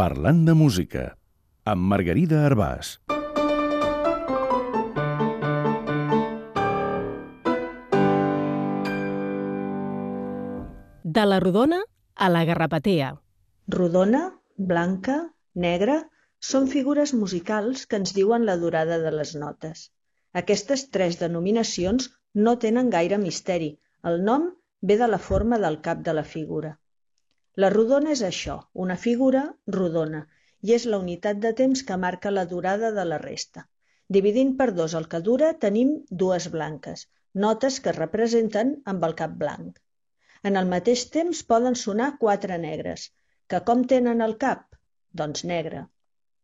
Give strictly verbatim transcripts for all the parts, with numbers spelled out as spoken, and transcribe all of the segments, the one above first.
Parlant de música, amb Margarida Arbàs. De la rodona a la garrapatea. Rodona, blanca, negra, són figures musicals que ens diuen la durada de les notes. Aquestes tres denominacions no tenen gaire misteri. El nom ve de la forma del cap de la figura. La rodona és això, una figura rodona, i és la unitat de temps que marca la durada de la resta. Dividint per dos el que dura, tenim dues blanques, notes que es representen amb el cap blanc. En el mateix temps poden sonar quatre negres, que com tenen el cap? Doncs negre.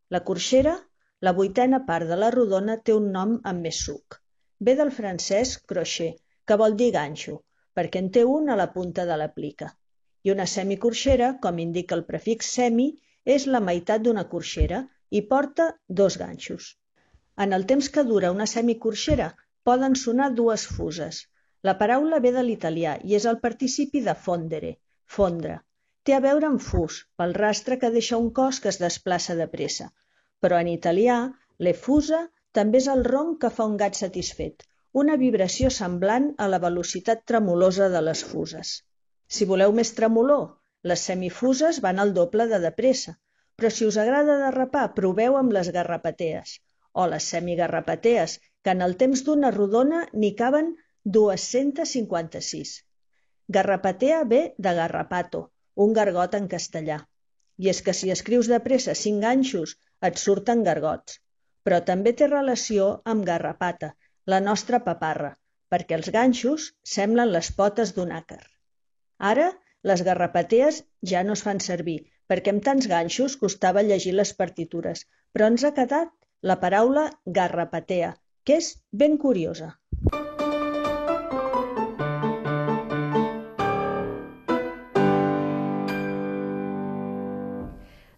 La corxera, la vuitena part de la rodona, té un nom amb més suc. Ve del francès crochet, que vol dir ganxo, perquè en té un a la punta de la plica. I una semicorxera, com indica el prefix semi, és la meitat d'una corxera i porta dos ganxos. En el temps que dura una semicorxera poden sonar dues fuses. La paraula ve de l'italià i és el participi de fondere, fondre. Té a veure amb fus, pel rastre que deixa un cos que es desplaça de pressa. Però en italià, l'effusa també és el ronc que fa un gat satisfet, una vibració semblant a la velocitat tremolosa de les fuses. Si voleu més tremolor, les semifuses van al doble de de pressa, però si us agrada derrapar, proveu amb les garrapatees, o les semigarrapatees, que en el temps d'una rodona n'hi caben dos-cents cinquanta-sis. Garrapatea ve de garrapato, un gargot en castellà. I és que si escrius de pressa cinc ganxos, et surten gargots. Però també té relació amb garrapata, la nostra paparra, perquè els ganxos semblen les potes d'un àcar. Ara, les garrapatees ja no es fan servir, perquè amb tants ganxos costava llegir les partitures, però ens ha quedat la paraula garrapatea, que és ben curiosa.